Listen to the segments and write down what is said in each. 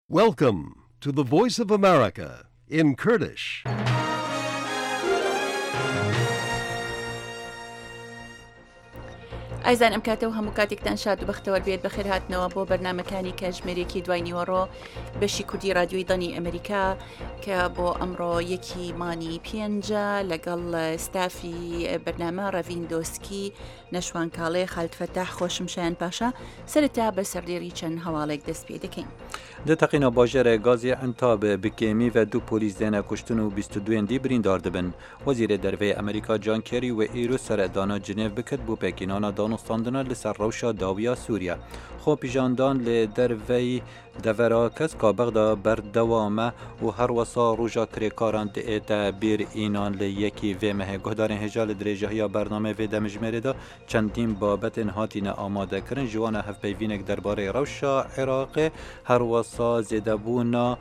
Welcome to the Voice of America in Kurdish. ئازیزان ئەم کاتە و هەموو کاتێکتان شاد و بەختەوەر بێت بەخێر هاتنەوە بۆ بەرنمەکانی کەژمێرێکی دوای نیوەڕۆ بەشی کوردی رادیۆی دەنگی ئەمریکا کە بۆ ئەمڕۆ یەکی مانگی پێنجە لەگەڵ ستافی بەرنامە ڕەڤین دۆسکی نەشوان کاڵێ، خالد فەتاح، خۆشم شایان پاشا، سەرەتا بە سەردێڕی چەند هەواڵێک دەست پێ دەکەین. Di teqîna bajarê Gazî Entab bi kêmî ve du polîs têne kuştin û 22 dî birîndar dibin. Wezîrê Derveyê Amerîka John Kerry wê îro seredana Cinêv bikit bo pêkînana danûstandina li ser rewşa dawiya Sûriye. Xwepîşandan li derveyî Devera Keska Bexda berdewam e û herwesa roja kirêkaran diête bîr înan li yekî vê mehê. Guhdarên hêja li dirêjahiya bernameyê vê demijmêrê de çendîn babetên hatîne amadekirin ji wan e hevpeyvînek derbarê rewşa Iraqê herwesa zêdebûna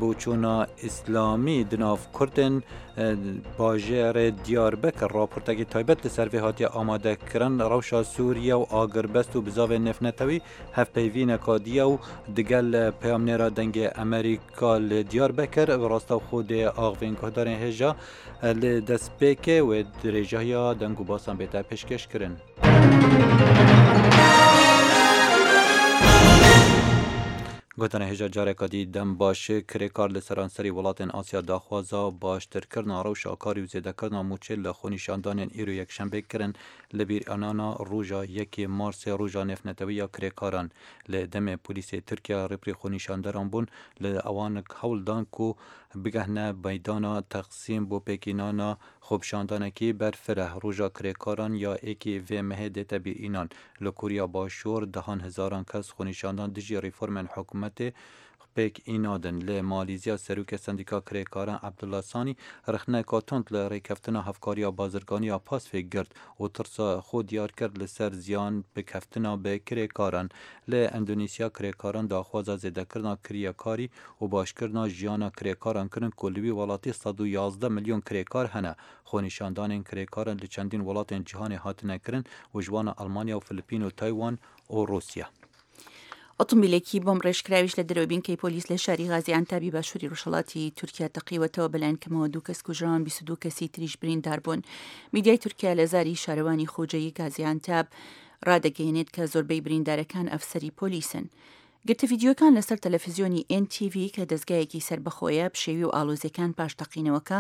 boçûna îslamî di nav kurdên bajêrê Diyarbekir raportekî taybet li ser vê hatiye amadekirin rewşa Sûriye û agirbest û bizavên nêvnetewî Hevpeyvîneka diye û digel peyamnêra Dengê Amerîka li Diyarbekir bi rastewxwe dê axivên guhdarên hêja li destpêkê wê dirêjahiya deng û basan bête pêşkêşkirin. Guhdarên hêja careka dî dem baş kirêkar li seranserî welatên Asya daxwaza baştirkirina rewşa karî û zêdekirina mûçê li xwenîşandanên îro yekşembê kirin. Li bîranana roja yekê Marsê roja nêvnetewî ya kirêkaran li demê polîsê Tirkiye rêberê xwenîşanderan bûn li ewan hewl dan ku bigehne meydana Teqsîm bo pêkînana xwepîşandanekî berfireh. Roja kirêkaran ya yekê vê mehê dête bîrînan. Li Koreya Başûr dehan hezaran kes xwenîşandan dijî reformên hikûmetê pêk înadin. Li Malîzya Serokê Sendîka Kirêkaran Abdullah Sanî rexneyeka tund li rêkeftina hevkariya bazirganî ya Pasfê girt û tirsa xwe diyar kir li ser ziyan bikeftina bi kirêkaran. Li Endonîsya kirêkaran daxwaza zêdekirina kirîyekarî û başkirina jiyana kirêkaran kirin ku li wî welatî 111 milyon kirêkar hene. Xwenîşandanên kirêkaran li çendîn welatên cîhanê hatine kirin û ji wan Elmanya û Filipîn û Taywan û Rûsya. ئۆتۆمبیلێکی بۆمبڕێژکراویش لە دەرەوەی بنکەی پۆلیس لە شاری غازی عەنتابی باشووری ڕۆژهەڵاتی تورکیا تەقیوەتەوە، بەلایەن کەمەوە دوو کەس کوژراون، 22 کەسی تریش بریندار بوون. میدیای تورکیا لە زاری شارەوانی خۆجێیی گازی عەنتاب ڕادەگەیەنێت کە زۆربەی بریندارەکان ئەفسەری پۆلیسن. گرتە ڤیدیۆکان لەسەر تەلەفزیۆنی ئێن تی ڤی کە دەزگایەکی سەربەخۆیە، پشێوی و ئاڵۆزیەکان پاش تەقینەوەکە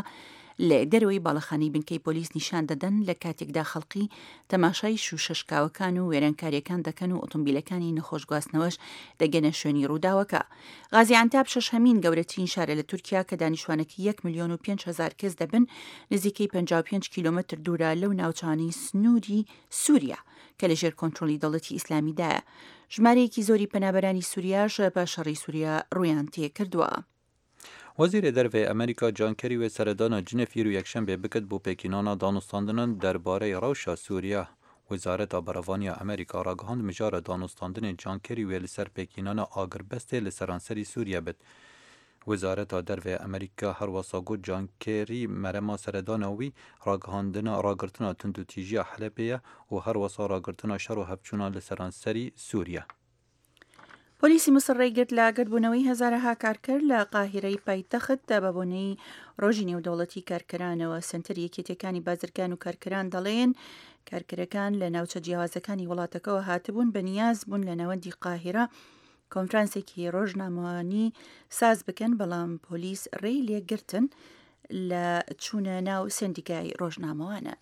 لە دەرەوەی باڵەخانەی بنکەی پۆلیس نیشان دەدەن لە کاتێکدا خەڵقی تەماشای شوشە شکاوەکان و وێرانکاریەکان دەکەن و ئۆتۆمبیلەکانی نەخۆش گواستنەوەش دەگەنە شوێنی ڕووداوەکە. غازی عەنتاب شەشهەمین گەورەترین شارە لە تورکیا کە دانیشتوانەکەی یەک ملیۆن و 5 هەزار کەس دەبن، نزیکەی 55 کیلۆمەتر دوورە لەو ناوچانەی سنووری سووریا کە لەژێر کۆنترۆڵی دەوڵەتی ئیسلامیدایە. ژمارەیەکی زۆری پەنابەرانی سووریاش پاش شەڕی سووریا ڕوویان تێکردووە. وەزیرێ دەرڤەی ئەمریکا جان کێری وێ سەردانا جنێف ئیرو یەکشەمبێ بکت بۆ پێکینانا دانوستاندنان دەربارەی ڕەوشا سووریا. وەزارەتا بەرەڤانیا ئەمریکا ڕاگەهاند مژارە دانوستاندنێ جان کێری وێ لە سەر پێکینانا ئاگربەستێ لە سەرانسەری سووریە بت. وەزارەتا دەرڤەی ئەمریکا هەروەسا گوت جان کێری مەرەما سەردانا وی ڕاگەهاندنا ڕاگرتنا توندوتیژیا حەلەبێ یە و هەروەسا ڕاگرتنا شەڕ و هەڤچوونا لە سەرانسەری سووریە. پۆلیسی میسر ڕێیگرت لە گردبوونەوەی هەزارەها کارکەر لە قاهیرەی پایتەخت بە بۆنەی ڕۆژی نێودەوڵەتی کارکەرانەوە. سەنتەری یەکێتیەکانی بازرگان و کارکەران دەڵێن کارکەرەکان لە ناوچە جیاوازەکانی وڵاتەکەوە هاتبوون بەنیاز بوون لە ناوەندی قاهیرە کۆنفرانسێکی ڕۆژنامەوانی ساز بکەن بەڵام پۆلیس ڕێی لێگرتن لە چوونە ناو سەندیکای ڕۆژنامەوانان.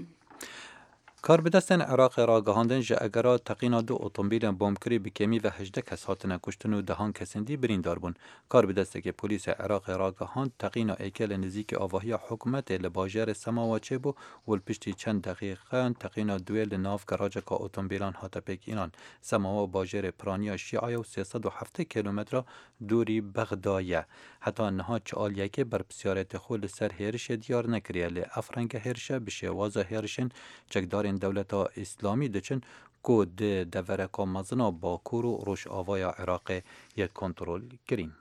Karbidestên Iraqê ragihandin ji egera teqîna du otomobîlên bombkirî bi kêmî ve 18 kes hatine kuştin û dehan kesên dî birîndar bûn. Karbidestekê polîsê Iraqê ragihand teqîna êkê li nêzîkî avahiya hikûmetê li bajarê Semawa çêbû û li piştî çend deqîqeyan teqîna duê li nav garajeka otomobîlan hate pêkînan. Semawa bajêrê piraniya Şîa ye û 370 kîlometra dûrî Bexda ye. Heta niha çi aliyekê berpirsyariyetê xwe li ser hêrişê diyar nekiriye lê ev renge hêrişe bi şêwaza hêrişên çekdarên Dewleta Îslamî diçin ku di devereka mezin a Bakur û Rojavaya Iraqê yê kontrol kirîn.